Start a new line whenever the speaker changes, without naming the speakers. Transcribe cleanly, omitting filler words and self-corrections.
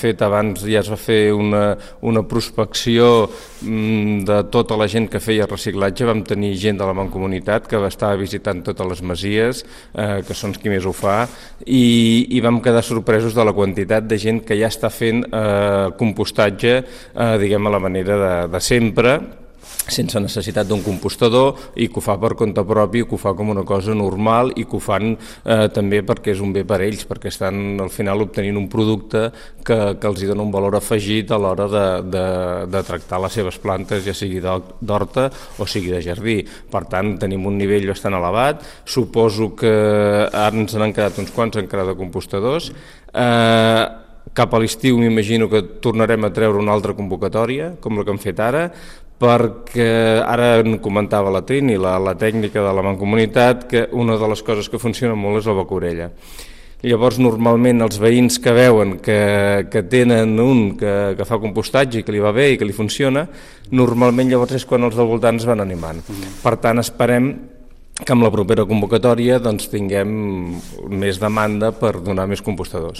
fet abans, ja es va fer una prospecció de tota la gent que feia reciclatge. Vam tenir gent de la Mancomunitat que estava visitant totes les masies, que són qui més ho fa, i vam quedar sorpresos de la quantitat de gent que ja està fent compostatge, diguem, a la manera de sempre, sense necessitat d'un compostador, i que ho fa per compte propi, que ho fa com una cosa normal, i que ho fan també perquè és un bé per ells, perquè estan al final obtenint un producte que els hi dona un valor afegit a l'hora de tractar les seves plantes, ja sigui d'horta o sigui de jardí. Per tant, tenim un nivell bastant elevat. Suposo que ara ens n'han quedat uns quants encara de compostadors. Cap a l'estiu m'imagino que tornarem a treure una altra convocatòria, com la que hem fet ara, perquè ara en comentava la Trini, la tècnica de la Mancomunitat, que una de les coses que funciona molt és la becorella. Llavors, normalment, els veïns que veuen que tenen un que fa compostatge i que li va bé i que li funciona, normalment llavors és quan els del voltant es van animant. Per tant, esperem que amb la propera convocatòria tinguem més demanda per donar més compostadors.